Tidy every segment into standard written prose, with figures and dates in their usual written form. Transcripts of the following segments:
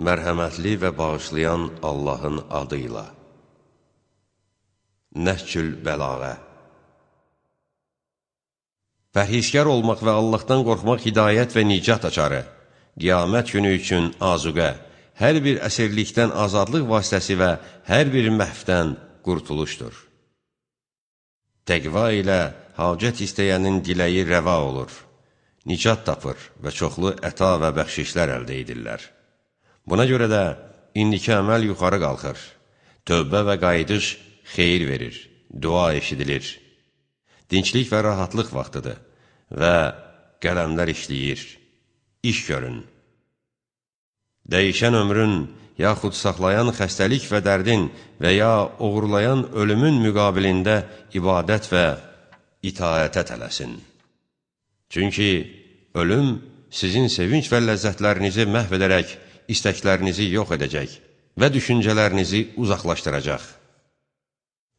Mərhəmətli və bağışlayan Allahın adıyla. Nəhcül Bəlağə. Pərhizkar olmaq və Allahdan qorxmaq hidayət və nicat açarı, qiyamət günü üçün azuqə, hər bir əsirlikdən azadlıq vasitəsi və hər bir məhvdən qurtuluşdur. Təqva ilə hacət istəyənin diləyi rəva olur, nicat tapır və çoxlu əta və bəxşişlər əldə edirlər. Buna görə də indiki əməl yuxarı qalxır, tövbə və qayıdış xeyir verir, dua eşidilir. Dinçlik və rahatlıq vaxtıdır və qələmlər işləyir, iş görün. Dəyişən ömrün, yaxud saxlayan xəstəlik və dərdin və ya uğurlayan ölümün müqabilində ibadət və itaətə tələsin. Çünki ölüm sizin sevinç və ləzzətlərinizi məhv edərək, istəklərinizi yox edəcək və düşüncələrinizi uzaqlaşdıracaq.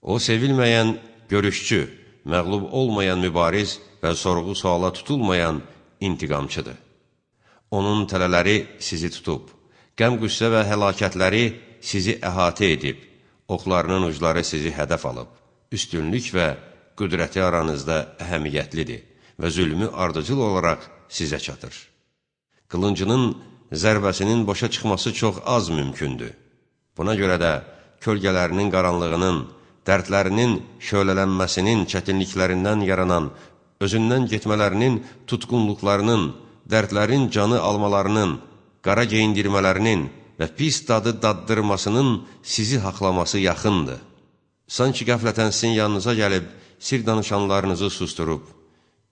O, sevilməyən görüşçü, məğlub olmayan mübariz və sorğu-suala tutulmayan intiqamçıdır. Onun tələləri sizi tutub, qəm-qüssə və həlakətləri sizi əhatə edib, oxlarının ucları sizi hədəf alıb, üstünlük və qüdrəti aranızda əhəmiyyətlidir və zülmü ardıcıl olaraq sizə çatır. Qılıncının zərbəsinin boşa çıxması çox az mümkündür. Buna görə də kölgələrinin qaranlığının, dərdlərinin şölələnməsinin çətinliklərindən yaranan, özündən getmələrinin tutqunluqlarının, dərdlərin canı almalarının, qara geyindirmələrinin və pis dadı daddırmasının sizi haqlaması yaxındır. Sanki qəflətən sizin yanınıza gəlib, sir danışanlarınızı susturub,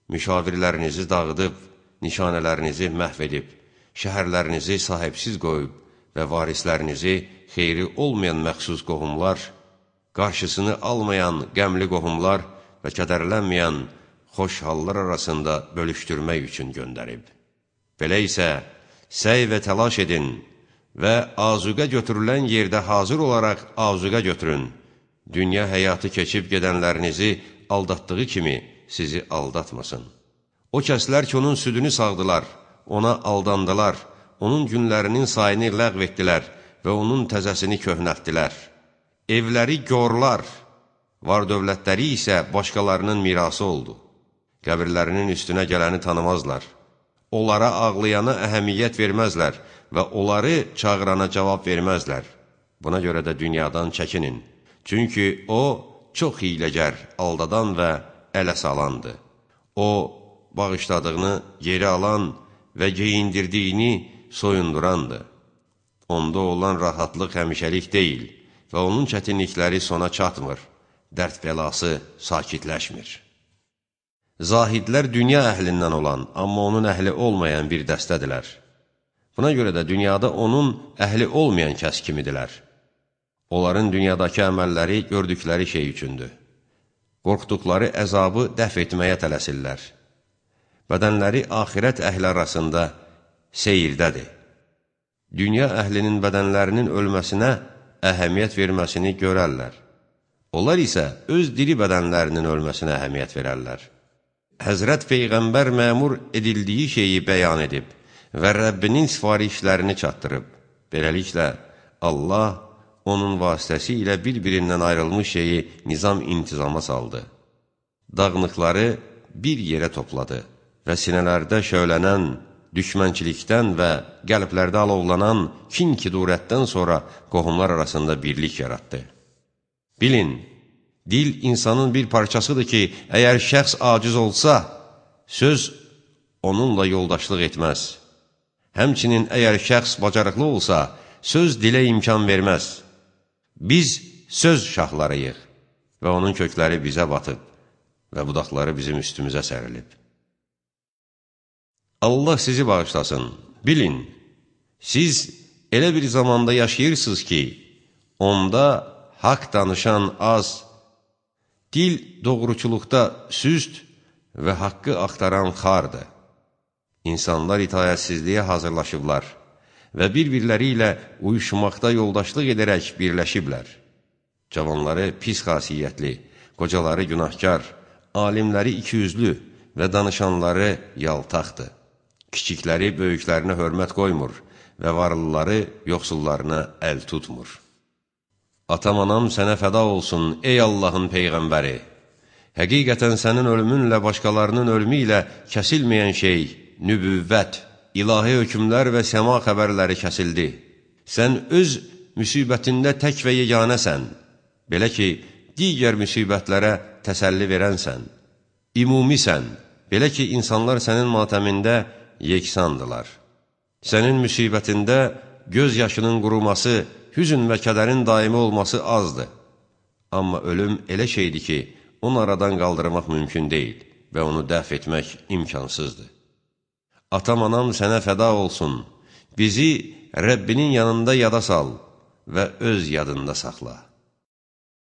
müşavirlərinizi dağıdıb, nişanələrinizi məhv edib, şəhərlərinizi sahibsiz qoyub və varislərinizi xeyri olmayan məxsus qohumlar, qarşısını almayan qəmli qohumlar və kədərlənməyən xoş hallar arasında bölüşdürmək üçün göndərib. Belə isə, səy və təlaş edin və azuqə götürülən yerdə hazır olaraq azuqə götürün. Dünya həyatı keçib gedənlərinizi aldatdığı kimi sizi aldatmasın. O kəslər ki, onun südünü sağdılar, ona aldandılar, onun günlərinin sayını ləğv etdilər və onun təzəsini köhnəltdilər. Evləri gorlar, var dövlətləri isə başqalarının mirası oldu. Qəbirlərinin üstünə gələni tanımazlar. Onlara ağlayana əhəmiyyət verməzlər və onları çağırana cavab verməzlər. Buna görə də dünyadan çəkinin. Çünki o, çox hiyləgər, aldadan və ələ salandır. O, bağışladığını geri alan və geyindirdiyini soyundurandır. Onda olan rahatlıq həmişəlik deyil və onun çətinlikləri sona çatmır, dərd bəlası sakitləşmir. Zahidlər dünya əhlindən olan, amma onun əhli olmayan bir dəstədilər. Buna görə də dünyada onun əhli olmayan kəs kimidirlər. Onların dünyadakı əməlləri gördükləri şey üçündür. Qorxduqları əzabı dəf etməyə tələsirlər. Bədənləri axirət əhli arasında seyirdədir. Dünya əhlinin bədənlərinin ölməsinə əhəmiyyət verməsini görərlər. Onlar isə öz diri bədənlərinin ölməsinə əhəmiyyət verərlər. Həzrət Peyğəmbər məmur edildiyi şeyi bəyan edib və Rəbbinin sifarişlərini çatdırıb. Beləliklə, Allah onun vasitəsilə bir-birindən ayrılmış şeyi nizam-intizama saldı. Dağınıqları bir yerə topladı və sinələrdə şöylənən düşmənçilikdən və qəlblərdə alovlanan kin-kidurətdən sonra qohumlar arasında birlik yaratdı. Bilin, dil insanın bir parçasıdır ki, əgər şəxs aciz olsa, söz onunla yoldaşlıq etməz. Həmçinin əgər şəxs bacarıqlı olsa, söz dilə imkan verməz. Biz söz şahlarıyıq və onun kökləri bizə batıb və budaqları bizim üstümüzə sərilib. Allah sizi bağışlasın. Bilin, siz elə bir zamanda yaşayırsınız ki, onda haqq danışan az, dil doğruçuluqda süst və haqqı axtaran xardır. İnsanlar itayətsizliyə hazırlaşıblar və bir-birləri ilə uyuşmaqda yoldaşlıq edərək birləşiblər. Cavanları pis xasiyyətli, qocaları günahkar, alimləri ikiyüzlü və danışanları yaltaqdır. Kiçikləri böyüklərinə hörmət qoymur və varlıları yoxsullarına əl tutmur. Atam, anam sənə fəda olsun, ey Allahın Peyğəmbəri! Həqiqətən sənin ölümünlə başqalarının ölümü ilə kəsilməyən şey, nübüvvət, ilahi hökmlər və səma xəbərləri kəsildi. Sən öz müsibətində tək və yeganəsən, belə ki, digər müsibətlərə təsəlli verənsən. İmumisən, belə ki, insanlar sənin matəmində yeksandılar. Sənin müsibətində göz yaşının quruması, hüzün və kədərin daimi olması azdır. Amma ölüm elə şeydir ki, onu aradan qaldırmaq mümkün deyil və onu dəf etmək imkansızdır. Atam, anam sənə fəda olsun, bizi Rəbbinin yanında yada sal və öz yadında saxla.